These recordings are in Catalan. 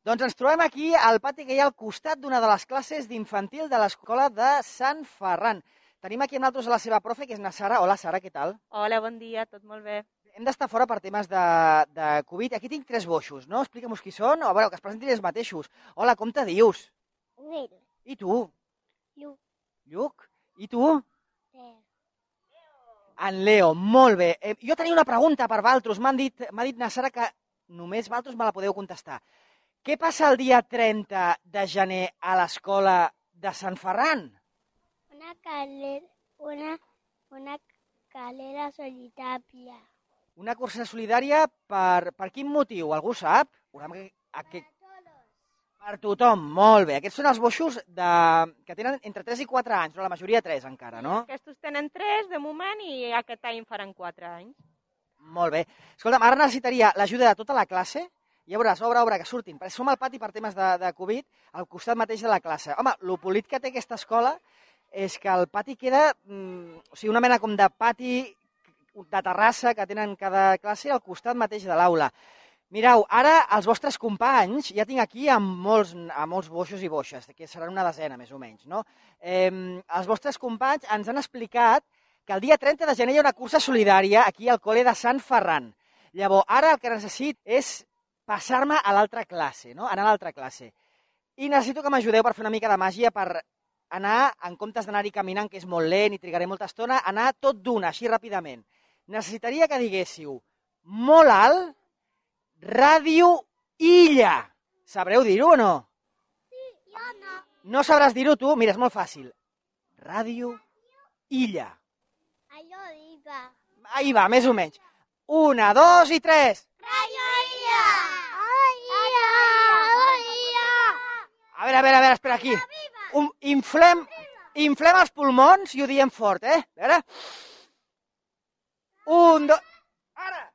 Doncs ens trobem aquí al pati que hi ha al costat d'una de les classes d'infantil de l'escola de Sant Ferran. Tenim aquí amb nosaltres la seva profe, que és na Sara. Hola, Sara, què tal? Hola, bon dia, tot molt bé. Hem d'estar fora per temes de Covid. Aquí tinc 3 boixos, no? Explica'm-nos qui són, o a veure, que es presentin ells mateixos. Hola, com te dius? Nil. I tu? Lluc. Lluc? I tu? Ter. En Leo, molt bé. Jo tenia una pregunta per Valtros. M'ha dit na Sara que només Valtros me la podeu contestar. Què passa el dia 30 de gener a l'escola de Sant Ferran? Una calera solitària. Una cursa solidària per quin motiu? Algú sap? Per tothom, molt bé. Aquests són els boixos que tenen entre 3 i 4 anys, no? La majoria 3 encara, no? Aquests tenen 3 de moment i aquest any faran 4 anys. Molt bé. Escolta'm, ara necessitaria l'ajuda de tota la classe. Ja veuràs, obra, que surtin. Som al pati per temes de Covid, al costat mateix de la classe. Home, el polit que té aquesta escola és que el pati queda, una mena com de pati de terrassa que tenen cada classe al costat mateix de l'aula. Mireu, ara els vostres companys, ja tinc aquí a molts boixos i boixes, que seran una desena més o menys, no? Els vostres companys ens han explicat que el dia 30 de gener hi ha una cursa solidària aquí al col·le de Sant Ferran. Llavors, ara el que necessit és passar-me a l'altra classe, no? Anar a l'altra classe. I necessito que m'ajudeu per fer una mica de màgia, per anar, en comptes d'anar-hi caminant, que és molt lent i trigaré molta estona, anar tot d'una, així ràpidament. Necessitaria que diguéssiu molt alt, Ràdio Illa. Sabreu dir-ho o no? Sí, jo no. No sabràs dir-ho tu? Mira, és molt fàcil. Ràdio Illa. Allò diga. Ahí va, més o menys. 1, 2 i 3. Rayo Illa! Illa! A veure, espera, aquí. Inflem els pulmons i ho diem fort, eh? A veure. 1, 2... Ara!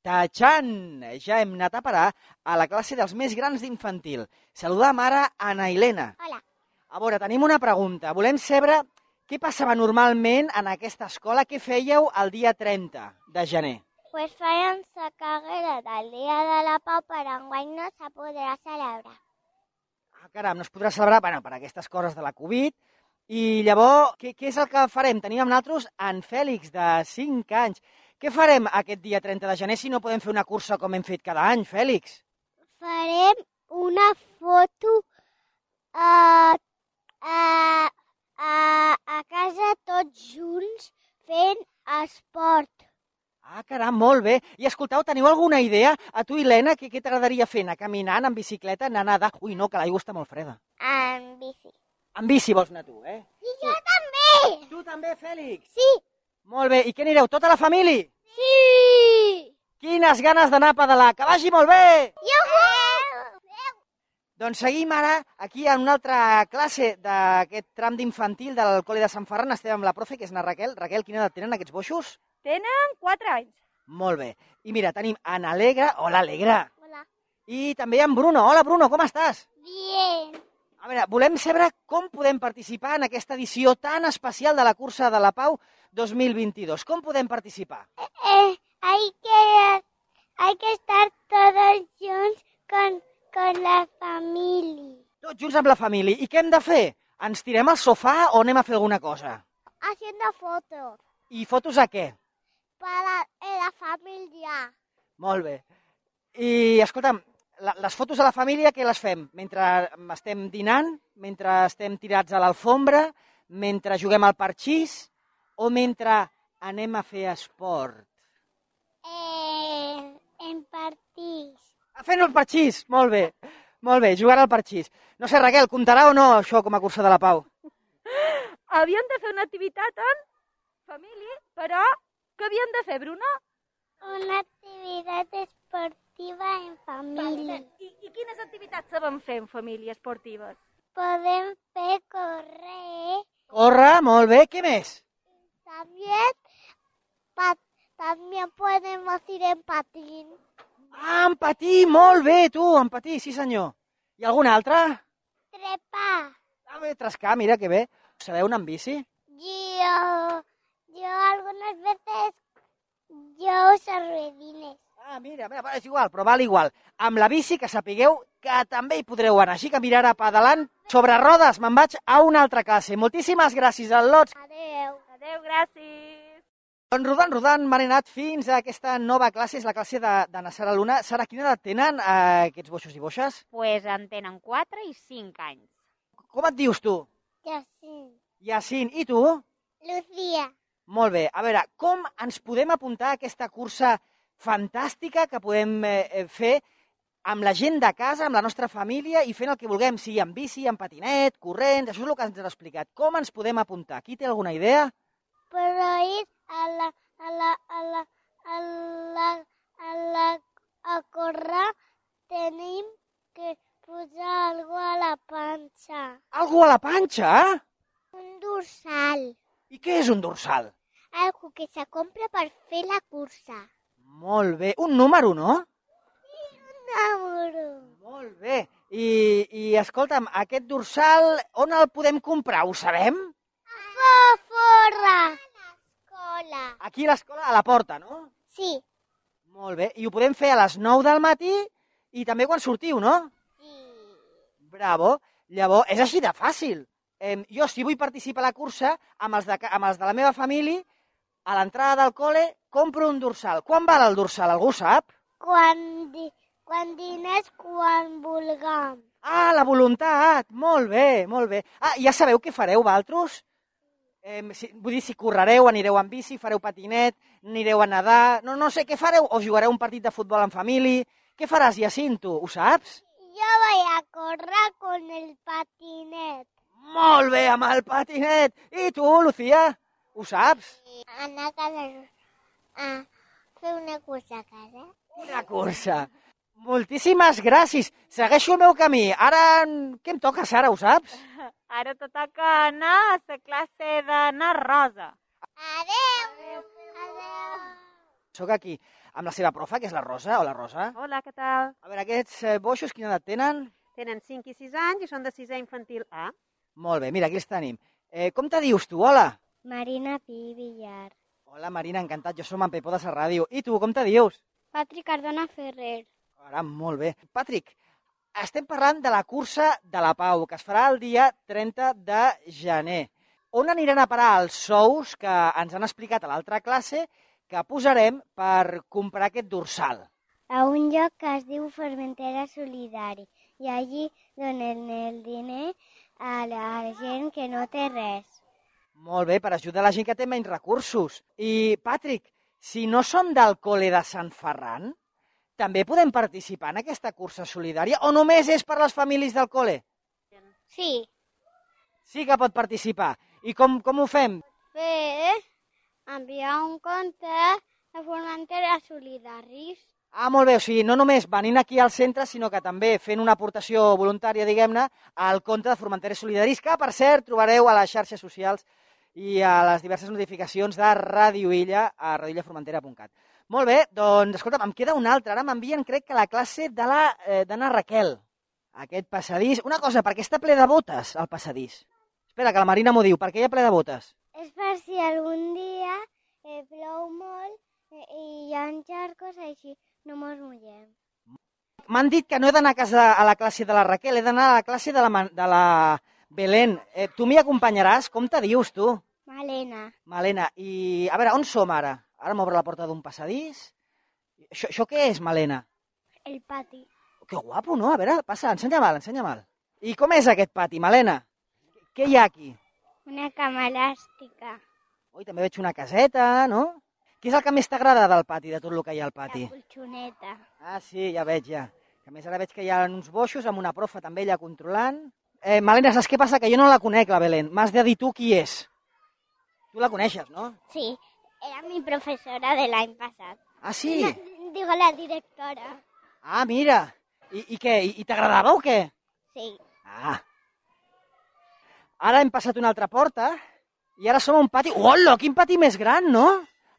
Tachan! Ja hem anat a parar a la classe dels més grans d'infantil. Saludam ara a Ana Helena. Hola. A veure, tenim una pregunta. Volem saber què passava normalment en aquesta escola? Què fèieu el dia 30 de gener? Pues fèiem la carrera del Dia de la Pau, però enguany no se podrà celebrar. Caram, no es podrà celebrar per aquestes coses de la Covid. I llavors, què és el que farem? Tenim amb nosaltres en Fèlix, de 5 anys. Què farem aquest dia 30 de gener si no podem fer una cursa com hem fet cada any, Fèlix? Farem una foto a casa tots junts fent esport. Caram, molt bé. I escoltau, teniu alguna idea? A tu, Helena, què t'agradaria fer? Anar caminant, en bicicleta, anar a nedar? Ui, no, que l'aigua està molt freda. En bici. En bici vols anar tu, eh? I jo també! Tu també, Fèlix? Sí! Molt bé. I què anireu, tota la família? Sí! Quines ganes d'anar a pedalar. Que vagi molt bé! Iuhu! Doncs seguim ara aquí en una altra classe d'aquest tram d'infantil del col·le de Sant Ferran. Estem amb la profe, que és na Raquel. Raquel, quina edat tenen aquests boixos? Tenen 4 anys. Molt bé. I mira, tenim en Alegre. Hola, Alegre. Hola. I també en Bruno. Hola, Bruno, com estàs? Bien. A veure, volem saber com podem participar en aquesta edició tan especial de la Cursa de la Pau 2022. Com podem participar? Hay que estar todos junts con la familia. Tots junts amb la família. I què hem de fer? Ens tirem al sofà o anem a fer alguna cosa? Haciendo fotos I fotos a què? para la familia. Molt bé. I, escolta'm, les fotos de la família, què les fem? Mentre estem dinant? Mentre estem tirats a l'alfombra? Mentre juguem al parxís? O mentre anem a fer esport? En partits. Fent el parxís, molt bé. Molt bé, jugant al parxís. No sé, Raquel, comptarà o no això com a Cursa de la Pau? Havíem de fer una activitat en família, però què havíem de fer, Bruno? Una activitat esportiva en família. I quines activitats sabem fer en família esportives? Podem fer correr. Corre, molt bé. Què més? También podemos ir en patín. En patí, molt bé, tu, en patí, sí senyor. I algun altre? Trepar. Bé, trescar, mira que bé. Sabeu anar en bici? Yo algunas veces yo uso ruedines. Ah, mira, és igual, però val igual. Amb la bici, que sapigueu que també hi podreu anar. Així que mirar a pedalant sobre rodes. Me'n vaig a una altra classe. Moltíssimes gràcies, al·lots. Adeu. Adéu, gràcies. Doncs rodant, m'han anat fins a aquesta nova classe, és la classe de na Sara Luna. Sara, quina edat tenen aquests boixos i boixes? Pues en tenen 4 i 5 anys. Com et dius tu? Jacint. Yacine. I tu? Lucía. Molt bé. A veure, com ens podem apuntar a aquesta cursa fantàstica que podem fer amb la gent de casa, amb la nostra família i fent el que vulguem, sigui en bici, en patinet, corrents, això és el que ens has explicat. Com ens podem apuntar? Qui té alguna idea? Però ir a córrer tenim que posar algo a la panxa. Algú a la panxa? Un dorsal. I què és un dorsal? Algo que se compra per fer la cursa. Molt bé. Un número, no? Número. Molt bé. I escolta'm, aquest dorsal, on el podem comprar? Ho sabem? Fora. A l'escola. Aquí a l'escola, a la porta, no? Sí. Molt bé. I ho podem fer a les 9 del matí i també quan sortiu, no? Sí. Bravo. Llavors, és així de fàcil. Jo, si vull participar a la cursa, amb els de la meva família, a l'entrada del col·le, compro un dorsal. Quan val el dorsal? Algú sap? Quan diners, quan vulguem. Ah, la voluntat. Molt bé, molt bé. Ah, ja sabeu què fareu, vosaltres? Vull dir, si correreu, anireu en bici, fareu patinet, anireu a nedar... No sé, què fareu? O jugareu un partit de futbol en família? Què faràs, Yacine, tu? Ho saps? Yo voy a correr con el patinet. Molt bé, amb el patinet. I tu, Lucía? Ho saps? Anar a casa a fer una cursa a casa. Una cursa. Moltíssimes gràcies. Segueixo el meu camí. Ara, què em toca, Sara, ho saps? Ara te toca anar a la classe d'anar rosa. Adeu. Adeu. Soc aquí amb la seva profa, que és la Rosa. Hola, Rosa. Hola, què tal? A veure, aquests boixos, quina edat tenen? Tenen 5 i 6 anys i són de 6è infantil A. Molt bé, mira, aquí els tenim. Com te dius tu? Hola. Marina Pi Villar. Hola, Marina, encantat. Jo som en Pepó de la ràdio. I tu, com te dius? Patrick Cardona Ferrer. Ara, molt bé. Patrick, estem parlant de la cursa de la Pau, que es farà el dia 30 de gener. On aniran a parar els sous que ens han explicat a l'altra classe que posarem per comprar aquest dorsal? A un lloc que es diu Formentera Solidari i allí donen el diner a la gent que no té res. Molt bé, per ajudar la gent que té menys recursos. I, Patrick, si no som del col·le de Sant Ferran, també podem participar en aquesta cursa solidària o només és per les famílies del col·le? Sí. Sí que pot participar. I com ho fem? Enviar un compte a Formentera Solidaris. Ah, molt bé, o sigui, no només venint aquí al centre, sinó que també fent una aportació voluntària, diguem-ne, al compte de Formentera Solidaris, que, per cert, trobareu a les xarxes socials i a les diverses notificacions de Ràdio Illa a radioillaformentera.cat. Molt bé, doncs, escolta'm, em queda una altra. Ara m'envien, crec que la classe de na Raquel. Aquest passadís... Una cosa, per què està ple de botes, el passadís? Espera, que la Marina m'ho diu. Per què hi ha ple de botes? És per si algun dia plou molt i hi ha xarcos, així no mos mullem. M'han dit que no he d'anar a la classe de la Raquel, he d'anar a la classe de la Belén. Tu m'hi acompanyaràs? Com te dius, tu? Malena. Malena. I, a veure, on som ara? Ara m'obre la porta d'un passadís. Això què és, Malena? El pati. Que guapo, no? A veure, passa, ensenya-me'l, ensenya-me'l. I com és aquest pati, Malena? Què hi ha aquí? Una cama elàstica. Ui, també veig una caseta, no? Què és el que més t'agrada del pati, de tot el que hi ha al pati? La colxoneta. Ah, sí, ja veig, ja. A més, ara veig que hi ha uns boixos amb una profa també allà controlant. Malena, saps què passa? Que jo no la conec, la Belén. M'has de dir tu qui és. Tu la coneixes, no? Sí, era mi professora de l'any passat. Ah, sí? Digo, la directora. Ah, mira. I què? I t'agradava o què? Sí. Ah. Ara hem passat una altra porta i ara som a un pati... Hola, quin pati més gran, no?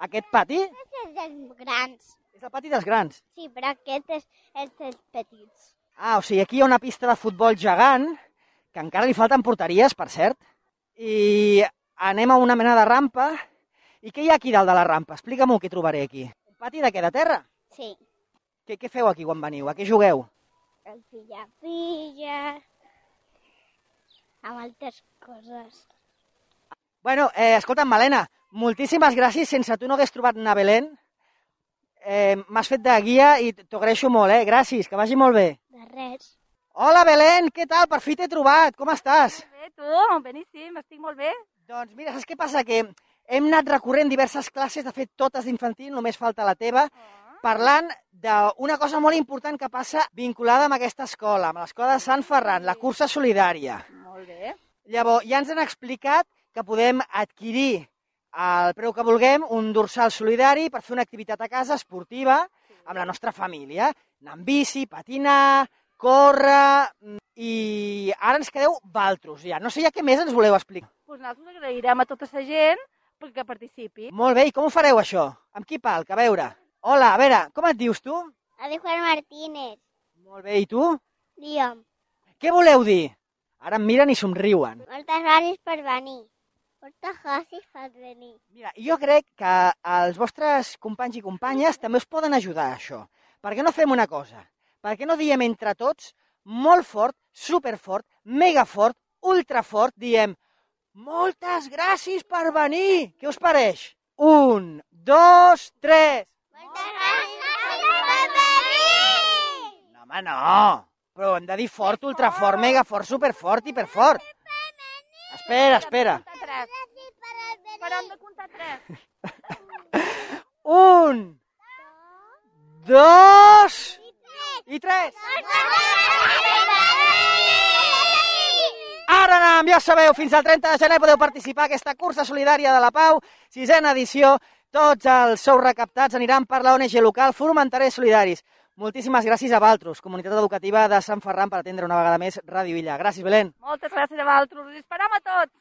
Aquest pati Aquest és dels grans. és el pati dels grans. Sí, però aquest és els dels petits. Ah, o sigui, aquí hi ha una pista de futbol gegant, que encara li falten porteries, per cert, i anem a una mena de rampa. I què hi ha aquí dalt de la rampa? Explica'm-ho, què trobaré aquí. Un pati de què, de terra? Sí. Què feu aquí quan veniu? A què jugueu? El pilla-pilla, amb altres coses. Bueno, escolta'm, Malena, moltíssimes gràcies. Sense tu no hagués trobat anar a Belén. M'has fet de guia i t'ho agraeixo molt, Gràcies, que vagi molt bé. De res. Hola, Belén, què tal? Per fi t'he trobat. Com estàs? Molt bé, tu? Beníssim, estic molt bé. Doncs mira, saps què passa? Que hem anat recorrent diverses classes, de fet totes d'infantil, només falta la teva, parlant d'una cosa molt important que passa vinculada amb aquesta escola, amb l'escola de Sant Ferran, la cursa solidària. Molt bé. Llavors, ja ens han explicat que podem adquirir al preu que vulguem un dorsal solidari per fer una activitat a casa esportiva amb la nostra família. Anar amb bici, patinar, córrer... I ara ens quedeu valtros, ja. No sé ja què més ens voleu explicar. Doncs nosaltres agrairem a tota la gent perquè participi. Molt bé, i com ho fareu, això? Amb qui palc? A veure. Hola, a veure, com et dius tu? Adi Juan Martínez. Molt bé, i tu? Liam. Què voleu dir? Ara em miren i somriuen. Moltes gràcies per venir. Moltes gràcies per venir. Mira, jo crec que els vostres companys i companyes també us poden ajudar a això. Per què no fem una cosa? Per què no diem entre tots, molt fort, superfort, megafort, ultrafort, diem moltes gràcies per venir. Què us pareix? 1, 2, 3. Moltes gràcies per venir! No, home, no. Però hem de dir fort, ultrafort, megafort, superfort, hiperfort. Espera. Però hem de comptar 3. 1, 2 i 3. Ara anem, ja sabeu, fins al 30 de gener podeu participar a aquesta cursa solidària de la Pau, 6a edició. Tots els sous recaptats aniran per la ONG local Formenterers Solidaris. Moltíssimes gràcies a Valtros, comunitat educativa de Sant Ferran, per atendre una vegada més Ràdio Illa. Gràcies, Belén. Moltes gràcies a vosaltres. Us esperam a tots.